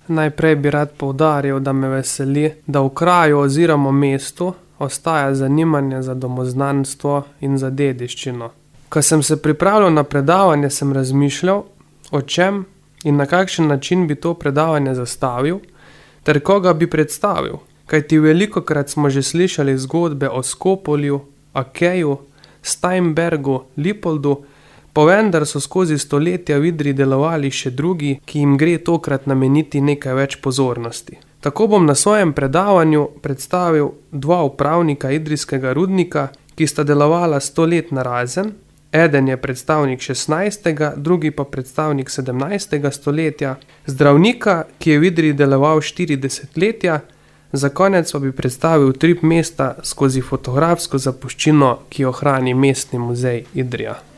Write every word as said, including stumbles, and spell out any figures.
Najprej bi rad poudaril, da me veseli, da v kraju oziroma mestu ostaja zanimanje za domoznanstvo in za dediščino. Ko sem se pripravljal na predavanje, sem razmišljal, o čem in na kakšen način bi to predavanje zastavil ter koga bi predstavil. Kajti velikokrat smo že slišali zgodbe o Skopolju, Akeju, Steinbergu, Lipoldu, pa vendar so skozi stoletja v Idriji delovali še drugi, ki jim gre tokrat nameniti nekaj več pozornosti. Tako bom na svojem predavanju predstavil dva upravnika idrijskega rudnika, ki sta delovala sto let narazen. Eden je predstavnik šestnajstega, drugi pa predstavnik sedemnajstega stoletja, zdravnika, ki je v Idriji deloval štiri desetletja, za konec pa bi predstavil utrip mesta skozi fotografsko zapuščino, ki jo hrani Mestni muzej Idrija.